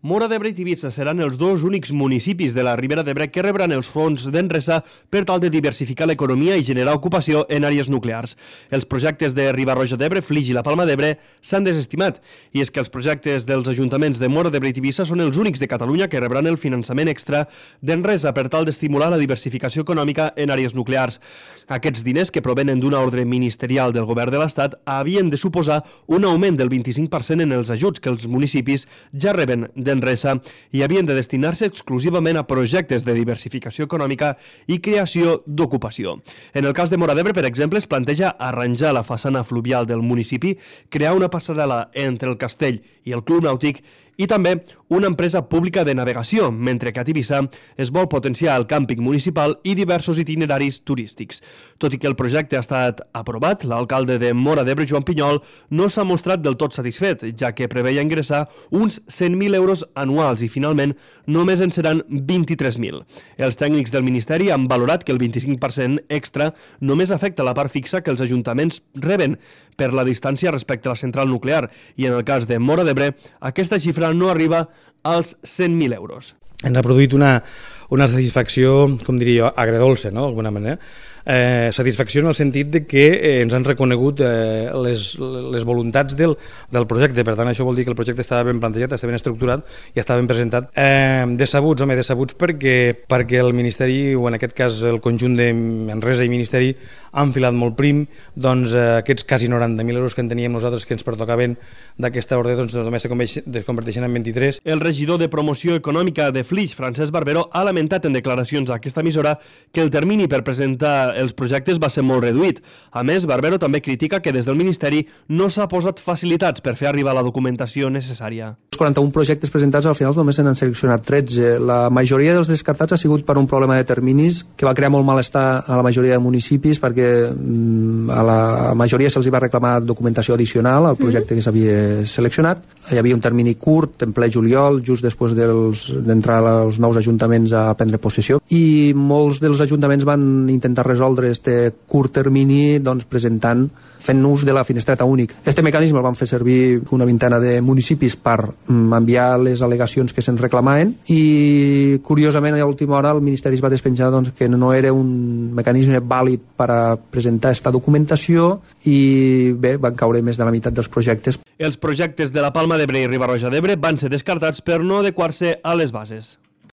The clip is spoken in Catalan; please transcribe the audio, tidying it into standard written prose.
Móra d'Ebre i Tivissa seran els dos únics municipis de la Ribera d'Ebre que rebran els fons d'Enresa per tal de diversificar l'economia i generar ocupació en àrees nuclears. Els projectes de Riba-roja d'Ebre, Flix i la Palma d'Ebre s'han desestimat, i és que els projectes dels ajuntaments de Móra d'Ebre i Tivissa són els únics de Catalunya que rebran el finançament extra d'Enresa per tal d'estimular la diversificació econòmica en àrees nuclears. Aquests diners, que provenen d'una ordre ministerial del govern de l'Estat, havien de suposar un augment del 25% en els ajuts que els municipis ja reben d'Enresa i havien de destinar-se exclusivament a projectes de diversificació econòmica i creació d'ocupació. En el cas de Móra d'Ebre, per exemple, es planteja arranjar la façana fluvial del municipi, crear una passarel·la entre el castell i el Club Nàutic i també una empresa pública de navegació, mentre que a Tivissa es vol potenciar el càmping municipal i diversos itineraris turístics. Tot i que el projecte ha estat aprovat, l'alcalde de Móra d'Ebre, Joan Pinyol, no s'ha mostrat del tot satisfet, ja que preveia ingressar uns 100.000 euros anuals i finalment només en seran 23.000. Els tècnics del Ministeri han valorat que el 25% extra només afecta la part fixa que els ajuntaments reben per la distància respecte a la central nuclear i en el cas de Móra d'Ebre aquesta xifra no arriba als 100.000 euros. Ens ha produït una satisfacció, com diria jo, agredolça, no?, d'alguna manera. Satisfacció en el sentit de que ens han reconegut les voluntats del projecte. Per tant, això vol dir que el projecte estava ben plantejat, estava ben estructurat i estava ben presentat. Decebuts perquè el Ministeri, o en aquest cas el conjunt d'Enresa i Ministeri, han filat molt prim. Doncs aquests quasi 90.000 euros que en teníem nosaltres que ens pertocaven d'aquesta ordre, doncs només es converteixen en 23. El regidor de Promoció Econòmica de Flix, Francesc Barbero, ha lamentat en declaracions a aquesta emissora que el termini per presentar els projectes va ser molt reduït. A més, Barbero també critica que des del Ministeri no s'ha posat facilitats per fer arribar la documentació necessària. Els 41 projectes presentats al final només se n'han seleccionat 13. La majoria dels descartats ha sigut per un problema de terminis que va crear molt malestar a la majoria de municipis perquè a la majoria se'ls va reclamar documentació addicional al projecte que s'havia seleccionat. Hi havia un termini curt, en ple juliol, just després d'entrar els nous ajuntaments a prendre possessió, i molts dels ajuntaments van intentar resoldre este curt termini fent ús de la finestreta únic. Este mecanisme el van fer servir una vintena de municipis per enviar les al·legacions que se'n reclamaven i, curiosament, a l'última hora el Ministeri es va despenjar que no era un mecanisme vàlid per a presentar esta documentació i, bé, van caure més de la meitat dels projectes. Els projectes de la Palma d'Ebre i Riba-roja d'Ebre van ser descartats per no adequar-se a les bases.